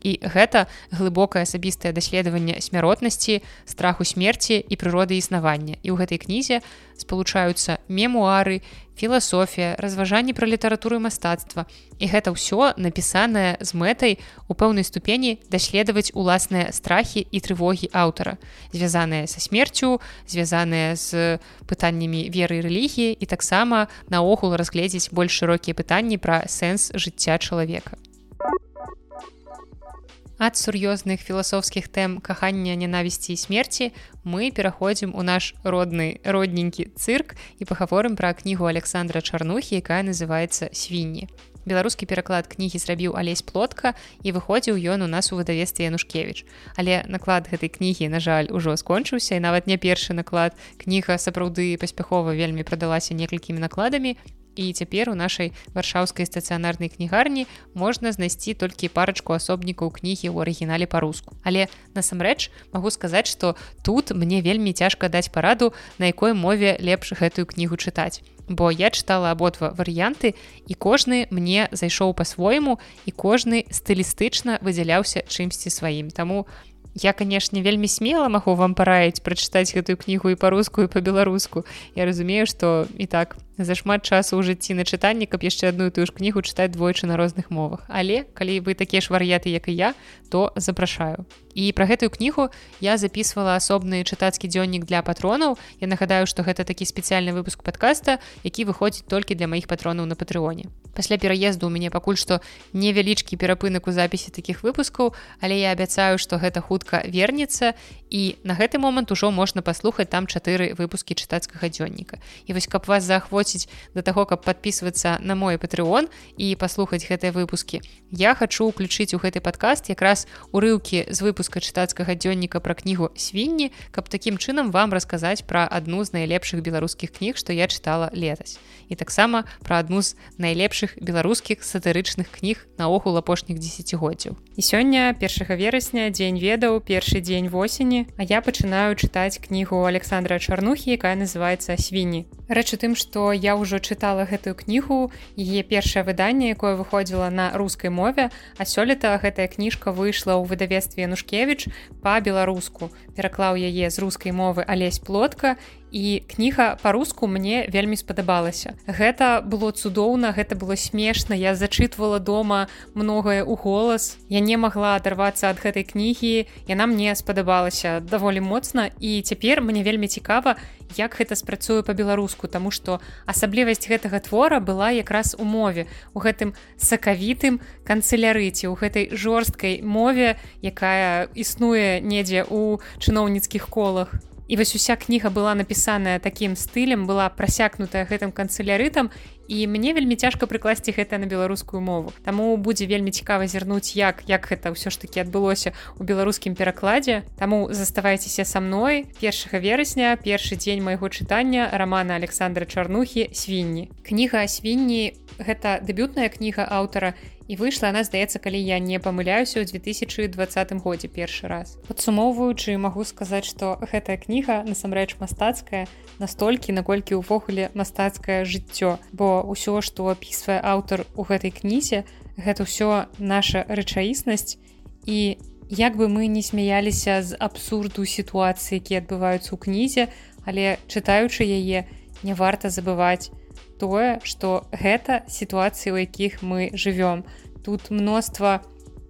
І гэта глыбокае асабістае даследаванне смяротнасці, страху смерці і прыроды існавання. І ў гэтай кнізе спалучаюцца мемуары, філасофія, разважанні пра літаратуру і мастацтва. І гэта ўсё напісанае з мэтай у пэўнай ступені даследаваць уласныя страхі і трывогі аўтара, звязаныя са смерцю, звязаныя з пытаннямі веры і рэлігіі і таксама наогул разгледзець больш шырокія пытанні пра сэнс жыцця чалавека. Ад сур'ёзных філасофскіх тэм кахання, нянавісці і смерці мы пераходзім у наш родненькі цырк і пагаворым пра кнігу Александра Чарнухі, якая называецца «Свінні». Беларускі пераклад кнігі зрабіў Алесь Плотка і выходзіў ён у нас у выдавецтве Янушкевіч. Але наклад гэтай кнігі, на жаль, ужо скончыўся, і нават не першы наклад. Кніга сапраўды паспяхова вельмі прадалася некалькімі накладамі. і цяпер у нашай варшаўскай стацыянарнай кнігарні можна знайсці толькі парачку асобнікаў кнігі ў арыгінале па-руску. Але насамрэч магу сказаць, што тут мне вельмі цяжка даць параду, на якой мове лепш гэтую кнігу чытаць. Бо я чытала абодва варыянты, і кожны мне зайшоў па-свойму, і кожны стылістычна выдзяляўся чымсьці сваім. Таму я, канешне, вельмі смела магу вам параіць прачытаць гэтую кнігу і па-руску, і па-беларуску. Я разумею, што і так зашмат часу ў жыцці на чытанні, каб яшчэ адну і тую ж кнігу чытаць двойчы на розных мовах. Але калі вы такія ж варыяты, як і я, то запрашаю. І пра гэтую кнігу я записывала асобны чытацкі дзённік для патронаў. Я нагадаю, што гэта такі спецыяльны выпуск падкаста, які выходзіць толькі для маіх патронаў на Патрэоне. Пасля пераезду ў мяне пакуль што невялічкі перапынак у запісе такіх выпускаў, але я абяцаю, што гэта хутка вернецца, і на гэты момант ужо можна паслухаць там 4 выпускі чытацкага дзённіка. І вось каб вас заахвоціць да таго, каб падпісвацца на мой Патрэон і паслухаць гэтыя выпускі, я хачу ўключыць у гэты падкаст якраз урыўкі з выпуска чытацкага дзённіка пра кнігу «Свінні», каб такім чынам вам расказаць пра адну з найлепшых беларускіх кніг, што я чытала летась. І таксама пра адну з найлепшых беларускіх сатырычных кніг наогул апошніх дзесяцігоддзяў. І сёння, 1 верасня, дзень ведаў, першы дзень восені, а я пачынаю чытаць кнігу Александра Чарнухі, якая называецца «Свінні». Рэч у тым, што я ўжо чытала гэтую кнігу, яе першае выданне, якое выходзіла на рускай мове, а сёлета гэтая кніжка выйшла ў выдавецтве Янушкевіч па-беларуску. Пераклаў яе з рускай мовы Алесь Плотка, і кніга па-руску мне вельмі спадабалася. Гэта было цудоўна, гэта было смешна, я зачытвала дома многае ў голас. Я не магла адарвацца ад гэтай кнігі, яна мне спадабалася даволі моцна, і цяпер мне вельмі цікава, як гэта спрацуе па-беларуску, таму што асаблівасць гэтага твора была якраз у мове, у гэтым сакавітым канцылярыце, у гэтай жорсткай мове, якая існуе недзе ў чыноўніцкіх колах. І вось уся кніга была напісаная такім стылем, была прасякнутая гэтым канцылярытам, і мне вельмі цяжка прыкласці гэта на беларускую мову. Таму будзе вельмі цікава зірнуць, як гэта ўсё ж такі адбылося ў беларускім перакладзе. Таму заставайцеся са мной. 1 верасня, першы дзень майго чытання рамана Александра Чарнухі «Свінні». Кніга «Свінні» — гэта дэбютная кніга аўтара, і выйшла она, здаецца, калі я не памыляюся, ў 2020 годзе першы раз. Падсумоўваючы, магу сказаць, што гэтая кніга насамрэч мастацкая настолькі, наколькі ўвогуле мастацкае жыццё, бо ўсё, што апісвае аўтар у гэтай кнізе, гэта ўсё наша рэчаіснасць, і як бы мы не смяяліся з абсурду сітуацыі, якія адбываюцца ў кнізе, але чытаючы яе, не варта забываць тое, што гэта сітуацыі, у якіх мы жывём. Тут мноства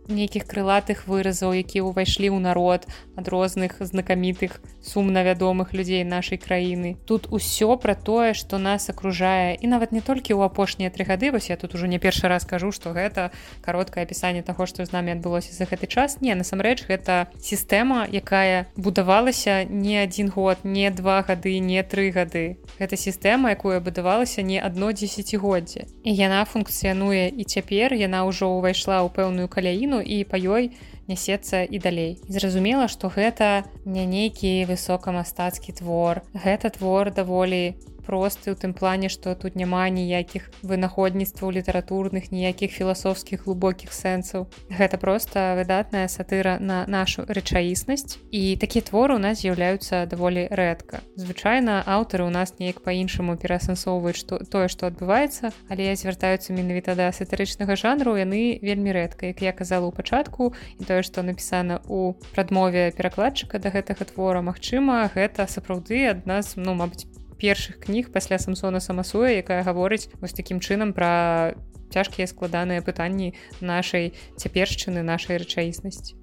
нейкіх крылатых выразаў, якія ўвайшлі ў народ ад розных знакамітых, сумна вядомых людзей нашай краіны. Тут усё пра тое, што нас акружае, і нават не толькі ў апошнія 3 гады, вось я тут ужо не першы раз кажу, што гэта кароткае апісанне таго, што з намі адбылося за гэты час. Не, насамрэч, гэта сістэма, якая будавалася не 1 год, не 2 гады, не 3 гады. Гэта сістэма, якая будавалася не адно дзесяцігоддзе. І яна функцыянуе і цяпер, яна ўжо ўвайшла ў пэўную каляіну, і па ёй нясецца і далей. Зразумела, што гэта не нейкі высокамастацкі твор. Гэта твор даволі просты ў тым плане, што тут няма ніякіх вынаходніцтваў літаратурных, ніякіх філасофскіх глыбокіх сэнсаў. Гэта проста выдатная сатыра на нашу рэчаіснасць, і такія творы ў нас з'яўляюцца даволі рэдка. Звычайна аўтары ў нас неяк па-іншаму пераасэнсоўваюць тое, што адбываецца, але звяртаюцца менавіта да сатырычнага жанру, яны вельмі рэдка. Як я казала ў пачатку, і тое, што напісана ў прадмове перакладчыка да гэтага твора, магчыма, гэта сапраўды адна з, мабыць, першых кніг пасля Самсона Самасуя, якая гаворыць вось такім чынам пра цяжкія складаныя пытанні нашай цяпершчыны, нашай рэчаіснасці.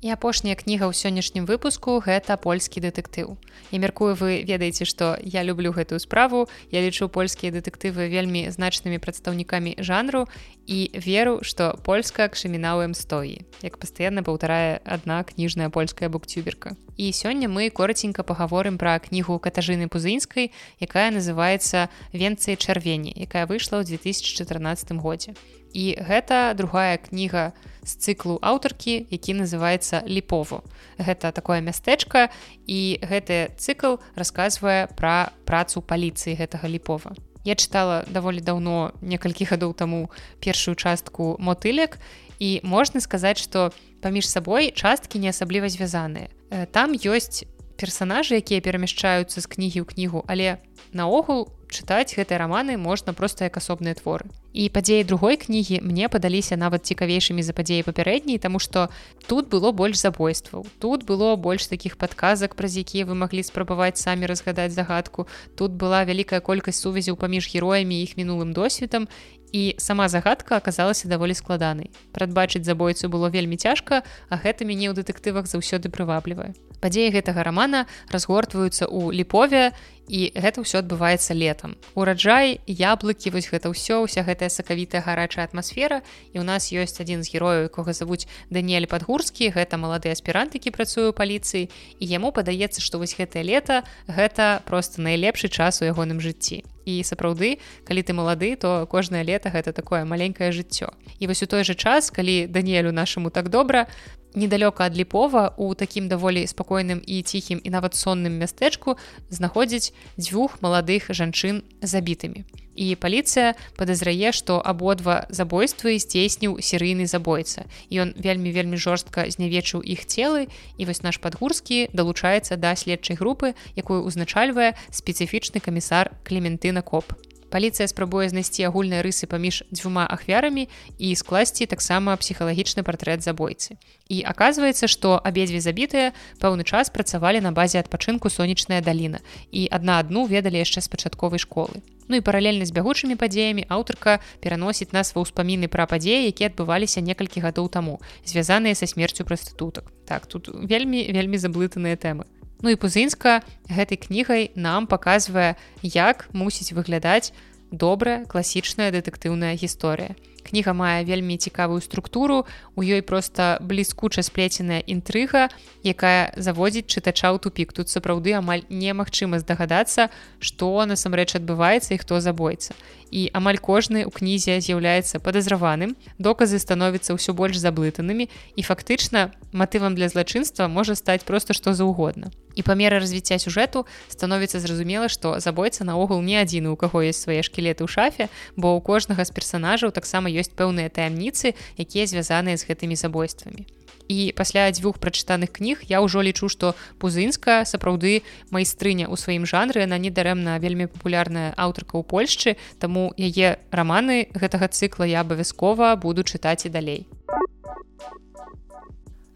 І апошняя кніга ў сённяшнім выпуску — гэта польскі дэтэктыў. Я мяркую, вы ведаеце, што я люблю гэтую справу, я лічу польскія дэтэктывы вельмі значнымі прадстаўнікамі жанру і веру, што польска к крыміналам стоі, як пастаянна паўтарае адна кніжная польская буктюберка. І сёння мы коратенька пагаворым пра кнігу Катажыны Пузынскай, якая называецца «Венцы чарвені», якая выйшла ў 2014 годзе. І гэта другая кніга з цыклу аўтаркі, які называецца Ліпово. Гэта такое мястэчка, і гэты цыкл расказвае пра працу паліцыі гэтага Ліпова. Я чытала даволі даўно, некалькі гадоў таму, першую частку «Мотылек», і можна сказаць, што паміж сабой часткі не асабліва звязаныя. Там ёсць персанажы, якія перамяшчаюцца з кнігі ў кнігу, але наогул чытаць гэтыя раманы можна проста як асобныя творы. І падзеі другой кнігі мне падаліся нават цікавейшымі за падзеі папярэдняй, таму што тут было больш забойстваў, тут было больш такіх падказак, праз якія вы маглі спрабаваць самі разгадаць загадку, тут была вялікая колькасць сувязяў паміж героямі і іх мінулым досведам, і сама загадка аказалася даволі складанай. Прадбачыць забойцу было вельмі цяжка, а гэта мяне ў дэтэктывах заўсёды прываблівае. Падзеі гэтага рамана разгортваюцца ў Ліпове, і гэта ўсё адбываецца летам. Ураджай, яблыкі, вось гэта ўсё, уся гэтая сакавітая гарачая атмасфера, і ў нас ёсць адзін з герояў, якога завуць Даніэль Падгурскі, гэта малады аспірант, які працуе ў паліцыі, і яму падаецца, што вось гэтае лета гэта проста найлепшы час у ягоным жыцці. І сапраўды, калі ты малады, то кожнае лета гэта такое маленькае жыццё. І вось у той жа час, калі Даніэлю нашаму так добра, недалёка ад Ліпова, у такім даволі спакойным і ціхім і нават сонным мястэчку знаходзяць дзвюх маладых жанчын забітымі. І паліцыя падазрае, што абодва забойствы здзейсніў серыйны забойца. І ён вельмі жорстка знявечыў іх целы, і вось наш Падгурскі далучаецца да следчай групы, якую ўзначальвае спецыфічны камісар Клементына Коп. Паліцыя спрабуе знайсці агульныя рысы паміж дзвюма ахвярамі і скласці таксама псіхалагічны партрэт забойцы. І аказваецца, што абедзве забітыя пэўны час працавалі на базе адпачынку «Сонечная даліна» і адна адну ведалі яшчэ з пачатковай школы. Ну і паралельна з бягучымі падзеямі аўтарка пераносіць нас ва ўспаміны пра падзеі, якія адбываліся некалькі гадоў таму, звязаныя са смерцю прастытутак. Так, тут вельмі заблытаныя тэмы. Ну і Пузынска гэтай кнігай нам паказвае, як мусіць выглядаць добрая класічная дэтэктыўная гісторыя. Кніга мае вельмі цікавую структуру, у ёй проста бліскуча сплеценая інтрыга, якая заводзіць чытача ў тупік. Тут сапраўды амаль немагчыма здагадацца, што насамрэч адбываецца і хто забойца. І амаль кожны ў кнізе з'яўляецца падазраваным, доказы становяцца ўсё больш заблытанымі, і фактычна матывам для злачынства можа стаць проста што заўгодна. І па меры развіцця сюжэту становіцца зразумела, што забойца наогул не адзіны, у каго ёсць свае шкілеты ў шафе, бо ў кожнага з персанажаў таксама ёсць пэўныя таямніцы, якія звязаныя з гэтымі забойствамі. І пасля дзвюх прачытаных кніг я ўжо лічу, што Пузынска сапраўды майстрыня ў сваім жанры, яна недарэмна вельмі папулярная аўтарка ў Польшчы, таму яе раманы гэтага цыкла я абавязкова буду чытаць і далей.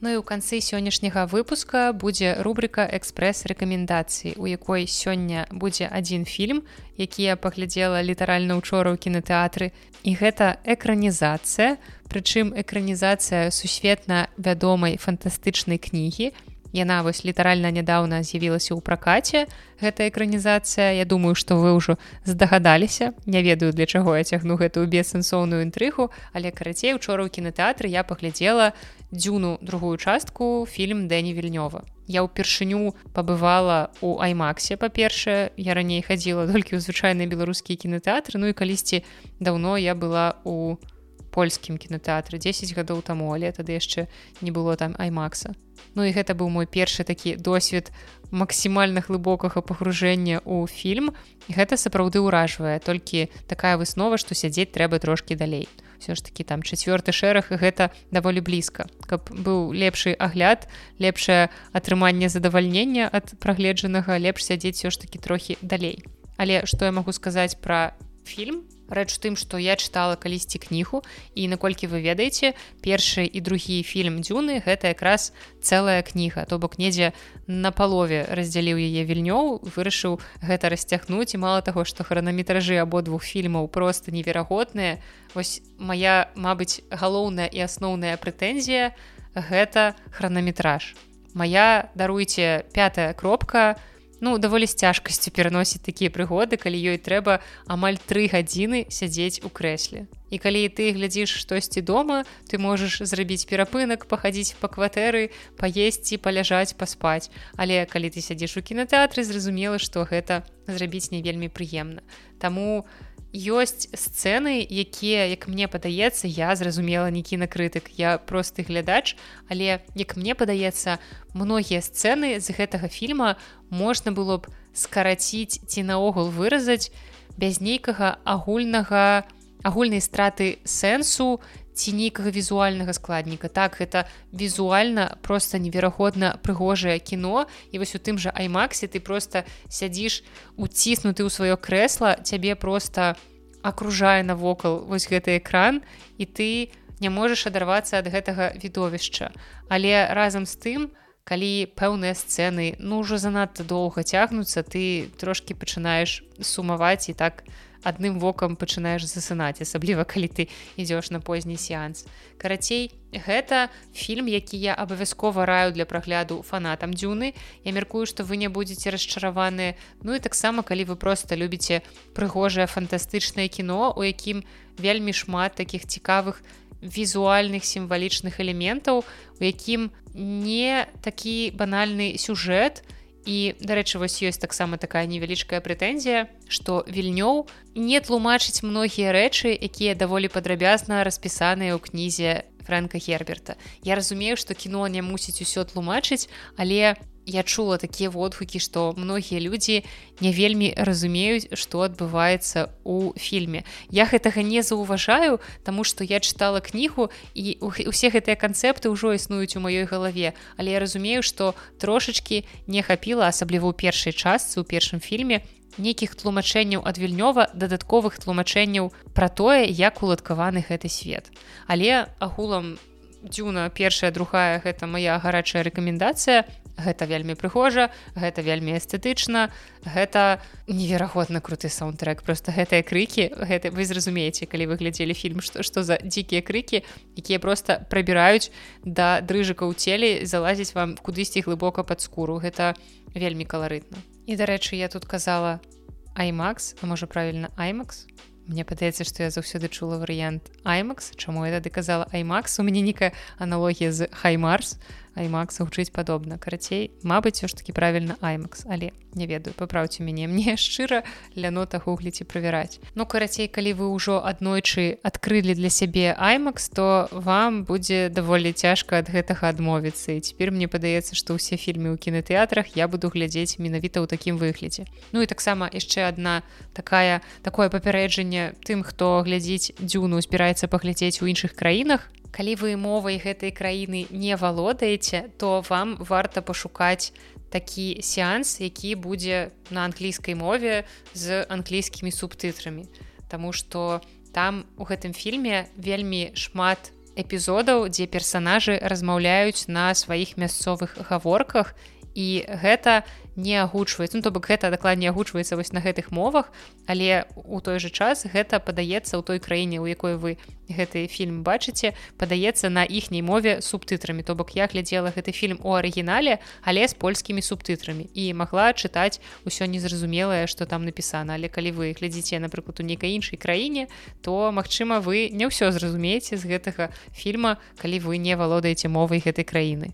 Ну і ў канцы сённяшняга выпуска будзе рубрыка «Экспрэс-рэкамендацыі», у якой сёння будзе адзін фільм, які я паглядзела літаральна учора ў кінатэатры. І гэта экранізацыя, прычым экранізацыя сусветна вядомай фантастычнай кнігі. Яна вось літаральна нядаўна з'явілася ў пракаце, гэта экранізацыя. Я думаю, што вы ўжо здагадаліся. Не ведаю, для чаго я цягну гэтую бессэнсоўную інтрыгу, але карацей, учора ў кінатэатры я паглядзела «Дзюну» другую частку, фільм Дэні Вільнёва. Я ўпершыню пабывала ў IMAX, па-першае, я раней хадзіла толькі ў звычайныя беларускія кінатэатры, ну і калісьці даўно я была ў польскім кінатэатры 10 гадоў таму, але тады яшчэ не было там IMAX. Ну і гэта быў мой першы такі досвед максімальна глыбокага пагружэння ў фільм. І гэта сапраўды ўражвае, толькі такая выснова, што сядзець трэба трошкі далей. Все ж такі там 4-ты шэраг, і гэта даволі блізка. Каб быў лепшы агляд, лепшае атрыманне задавальнення ад прагледжанага, лепш сядзець все ж такі трохі далей. Але што я магу сказаць пра фільм? Рэч у тым, што я чытала калісьці кнігу, і наколькі вы ведаеце, першы і другі фільм «Дзюны» гэта якраз цэлая кніга, то бок недзе на палове раздзяліў яе Вільнёў, вырашыў гэта расцягнуць, і мала таго, што хранаметражы абодвух фільмаў проста неверагодныя. Вось мая, мабыць, галоўная і асноўная прэтэнзія гэта хранаметраж. Мая, даруйце, 5-я кропка, даволі з цяжкасцю пераносіць такія прыгоды, калі ёй трэба амаль 3 гадзіны сядзець у крэсле. І калі ты глядзіш штосьці дома, ты можаш зрабіць перапынак, пахадзіць па кватэры, паесці, паляжаць, паспаць. Але калі ты сядзіш у кінатэатры, зразумела, што гэта зрабіць не вельмі прыемна. Таму ёсць сцэны, якія, як мне падаецца, я зразумела не кінакрытык, я просты глядач, але, як мне падаецца, многія сцэны з гэтага фільма можна было б скараціць ці наогул выразаць без нейкага агульнай страты сэнсу ці нейкага візуальнага складніка. Так, гэта візуальна проста неверагодна прыгожае кіно, і вось у тым жа IMAX ты проста сядзіш уціснуты ў сваё крэсла, цябе проста акружае навокал вось гэты экран, і ты не можаш адарвацца ад гэтага відовішча. Але разам з тым, калі пэўныя сцэны ўжо занадта доўга цягнуцца, ты трошкі пачынаеш сумаваць і так адным вокам пачынаеш засынаць, асабліва калі ты ідзеш на позні сеанс. Карацей, гэта фільм, які я абавязкова раю для прагляду фанатам Дзюны. Я мяркую, што вы не будзеце расчараваныя. Ну і таксама, калі вы проста любіце прыгожае фантастычнае кіно, у якім вельмі шмат такіх цікавых візуальных сімвалічных элементаў, у якім не такі банальны сюжэт. І, дарэчы, вось ёсць таксама такая невялічкая прэтэнзія, што Вільнёў не тлумачыць многія рэчы, якія даволі падрабязна распісаныя ў кнізе Фрэнка Герберта. Я разумею, што кіно не мусіць усё тлумачыць, але я чула такія водгукі, што многія людзі не вельмі разумеюць, што адбываецца ў фільме. Я гэтага не заўважаю, таму што я чытала кнігу, і ўсе гэтыя канцэпты ўжо існуюць у маёй галаве, але я разумею, што трошачкі не хапіла, асабліва ў першай частцы, у першым фільме, нейкіх тлумачэнняў ад Вільнёва, дадатковых тлумачэнняў пра тое, як уладкаваны гэты свет. Але агулам Дзюна першая, другая, гэта мая гарачая рэкамендацыя. Гэта вельмі прыгожа, гэта вельмі эстэтычна, гэта неверагодна круты саундтрэк. Просто гэтыя крыкі, вы зразумееце, калі вы глядзелі фільм, што за дзікія крыкі, якія проста прабіраюць да дрыжыка ў целе, залазіць вам кудысьці глыбока пад скуру. Гэта вельмі каларытна. І, дарэчы, я тут казала IMAX, а можа правільна IMAX? Мне падаецца, што я заўсёды чула варыянт IMAX. Чаму я тады казала IMAX? У мяне нейкая аналогія з HIMARS. IMAX гучыць падобна. Карацей, мабыць, усё ж такі правільна IMAX, але не ведаю, папраўце мяне. Мне шчыра лянота гугліць і правяраць. Ну, карацей, калі вы ўжо аднойчы адкрылі для сябе IMAX, то вам будзе даволі цяжка ад гэтага адмовіцца. І цяпер мне падаецца, што ўсе фільмы ў кінатэатрах я буду глядзець менавіта ў такім выглядзе. Ну і таксама яшчэ адна такое папярэджанне тым, хто глядзіць Дзюну, збіраецца паглядзець у іншых краінах. Калі вы мовай гэтай краіны не валодаеце, то вам варта пашукаць такі сеанс, які будзе на англійскай мове з англійскімі субтытрамі. Таму што там у гэтым фільме вельмі шмат эпізодаў, дзе персанажы размаўляюць на сваіх мясцовых гаворках, і гэта не агучваецца, то бок гэта дакладней агучваецца вось на гэтых мовах, але ў той жа час гэта падаецца ў той краіне, у якой вы гэты фільм бачыце, падаецца на іхняй мове субтытрамі. То бок я глядзела гэты фільм у арыгінале, але з польскімі субтытрамі і магла чытаць усё незразумелае, што там напісана. Але калі вы глядзіце, напрыклад, у нейкай іншай краіне, то, магчыма, вы не ўсё зразумееце з гэтага фільма, калі вы не валодаеце мовай гэтай краіны.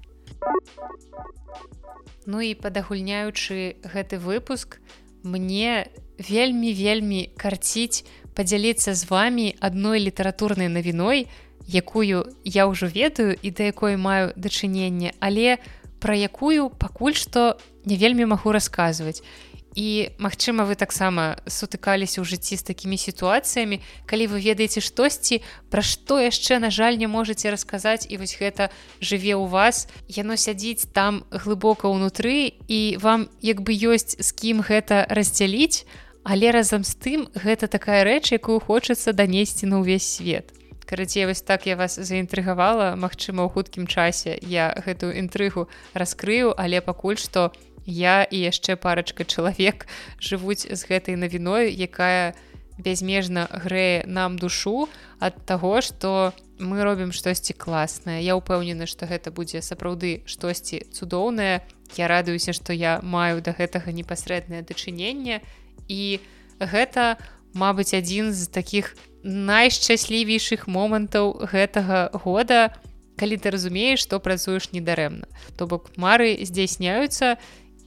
Ну і падагульняючы гэты выпуск, мне вельмі карціць падзяліцца з вамі адной літаратурнай навіной, якую я ўжо ведаю і да якой маю дачыненне, але пра якую пакуль што не вельмі магу расказваць. І, магчыма, вы таксама сутыкаліся ў жыцці з такімі сітуацыямі, калі вы ведаеце штосьці, пра што яшчэ, на жаль, не можаце расказаць, і вось гэта жыве ў вас, яно сядзіць там глыбока ўнутры, і вам як бы ёсць з кім гэта раздзяліць, але разам з тым гэта такая рэч, якую хочацца данесці на ўвесь свет. Карацей, вось так я вас заінтрыгавала, магчыма, ў хуткім часе я гэтую інтрыгу раскрыю, але пакуль што я і яшчэ парачка чалавек жывуць з гэтай навіной, якая бязмежна грэе нам душу ад таго, што мы робім штосьці класнае. Я ўпэўнена, што гэта будзе сапраўды штосьці цудоўнае. Я радуюся, што я маю да гэтага непасрэднае дачыненне. І гэта, мабыць, адзін з такіх найшчаслівейшых момантаў гэтага года, калі ты разумееш, што працуеш недарэмна. То бок мары здзяйсняюцца,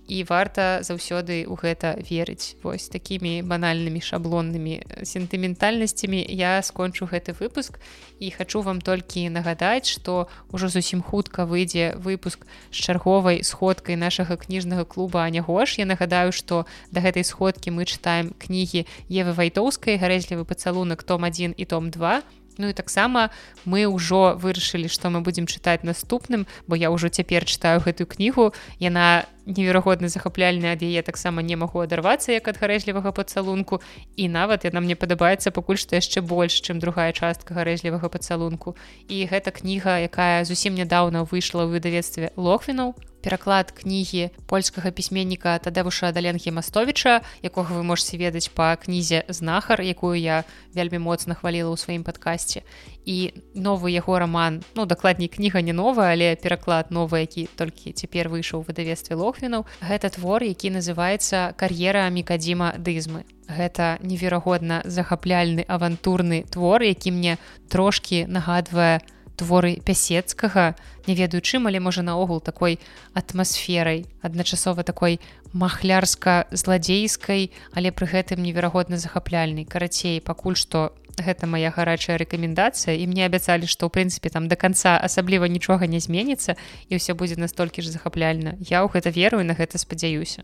і варта заўсёды ў гэта верыць. Вось такімі банальнымі шаблоннымі сентыментальнасцямі я скончу гэты выпуск і хачу вам толькі нагадаць, што ўжо зусім хутка выйдзе выпуск з чарговай сходкай нашага кніжнага клуба Аня Гош. Я нагадаю, што да гэтай сходкі мы чытаем кнігі Евы Вайтоўскай «Гарэзлівы пацалунак» том 1 і том 2. Ну і таксама мы ўжо вырашылі, што мы будзем чытаць наступным, бо я ўжо цяпер чытаю гэтую кнігу. Яна неверагодна захапляльная, ад яе таксама не магу адарвацца, як ад гарэзлівага пацалунку. І нават яна мне падабаецца пакуль што яшчэ больш, чым другая частка гарэзлівага пацалунку. І гэта кніга, якая зусім нядаўна выйшла ў выдавецтве Лохвінаў. Пераклад кнігі польскага пісьменніка Тадэвуша Даленгі-Мастовіча, якога вы можете ведаць па кнізе «Знахар», якую я вельмі моцна хваліла ў сваім падкасці. І новы яго раман, ну, дакладней, кніга не новая, але пераклад новы, які толькі цяпер выйшаў у выдавецтве Лохвінаў. Гэта твор, які называецца «Кар'ера Мікадзіма Дызмы». Гэта неверагодна захапляльны авантурны твор, які мне трошкі нагадвае творы Пясецкага, не ведаю чым, але можа наогул такой атмасферай, адначасова такой махлярска-зладзейскай, але пры гэтым неверагодна захапляльнай. Карацей, пакуль што гэта моя гарачая рэкамендацыя, і мне абяцалі, што ў прынцыпе там да канца асабліва нічога не зменіцца і ўсё будзе настолькі ж захапляльна. Я ў гэта веру і на гэта спадзяюся.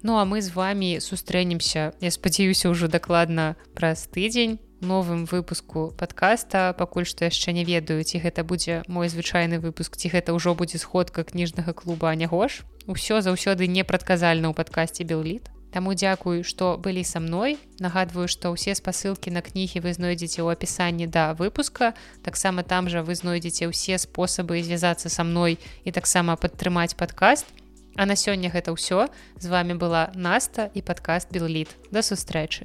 Ну а мы з вамі сустрэнемся, я спадзяюся, ўжо дакладна праз тыдзень новым выпуску падкаста. Пакуль што яшчэ не ведаю, ці гэта будзе мой звычайны выпуск, ці гэта ўжо будзе сходка кніжнага клуба Аня Гош. Усё заўсёды непрадказальна ў падкасце Белліт. Таму дзякую, што былі са мной. Нагадваю, што ўсе спасылкі на кнігі вы знойдзеце ў апісанні да выпуска. Таксама там жа вы знойдзеце ўсе спосабы звязацца са мной і таксама падтрымаць падкаст. А на сёння гэта ўсё. З вами была Наста і падкаст Белліт. Да сустрэчы.